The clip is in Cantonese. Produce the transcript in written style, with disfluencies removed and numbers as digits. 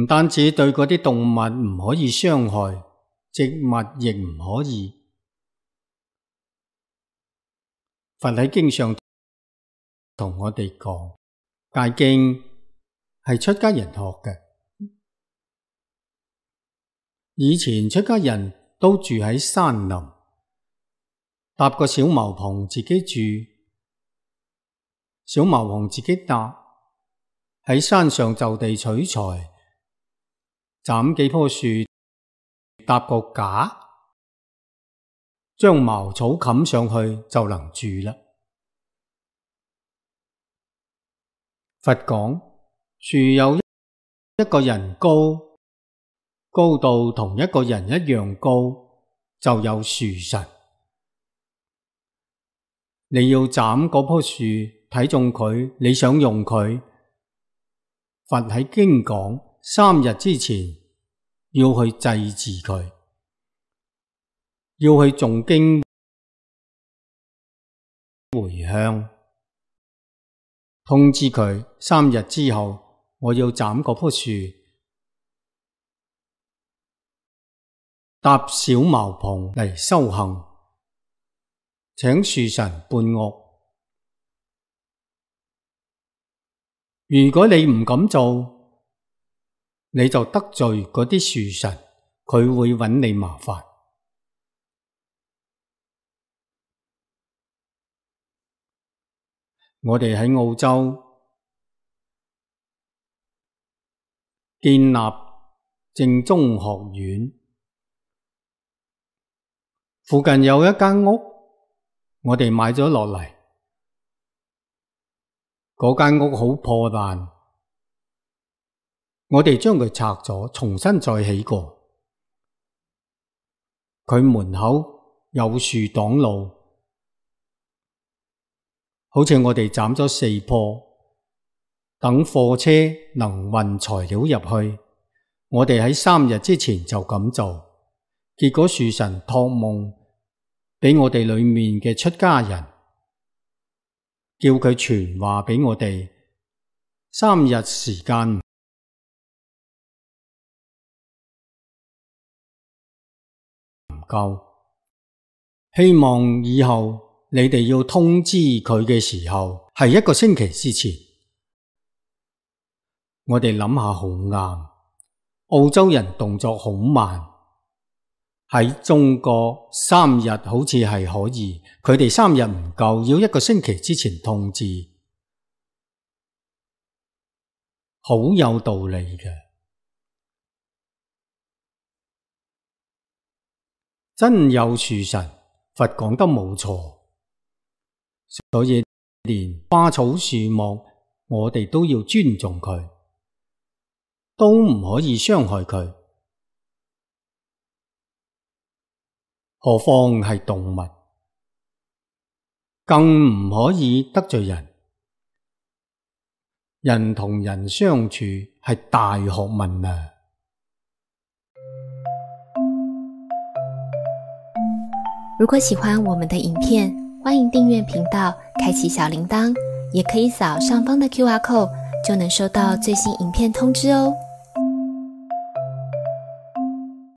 唔單止對嗰啲動物唔可以傷害，植物亦唔可以。佛喺經上同我哋講，戒經係出家人學嘅。以前出家人都住喺山林，搭個小茅棚自己住，小茅棚自己搭，喺山上就地取材，斬幾棵樹，搭個架，將茅草冚上去就能住啦。佛講，樹有一個人高，高到同一個人一樣高，就有樹神。你要斬嗰棵樹，睇中佢，你想用佢，佛喺經講，3日之前要去祭祀佢，要去誦經回向，通知佢3日之後我要斬嗰棵樹，搭小茅棚嚟修行，請樹神伴我。如果你唔敢做，你就得罪嗰啲樹神，佢會揾你麻煩。我哋喺澳洲建立正宗學院，附近有一間屋，我哋買咗落嚟。嗰間屋好破爛，我哋將佢拆咗，重新再起過。佢門口有樹擋路，好似我哋斬咗4棵，等貨車能運材料入去。我哋喺3日之前就咁做，結果樹神託夢俾我哋裏面嘅出家人，叫佢傳話俾我哋，3日時間唔夠，希望以後你哋要通知佢嘅時候係1個星期之前。我哋諗下好啱，澳洲人動作好慢，喺中國3日好似係可以，佢哋3日唔夠，要1個星期之前通知，好有道理嘅。真有樹神，佛講得冇錯，所以連花草樹木我哋都要尊重佢，都唔可以傷害佢。何況係動物，更唔可以得罪人。人同人相處係大學問啊！如果喜歡我們的影片，歡迎訂閱頻道，開啟小鈴鐺，也可以掃上方的QR code，就能收到最新影片通知哦。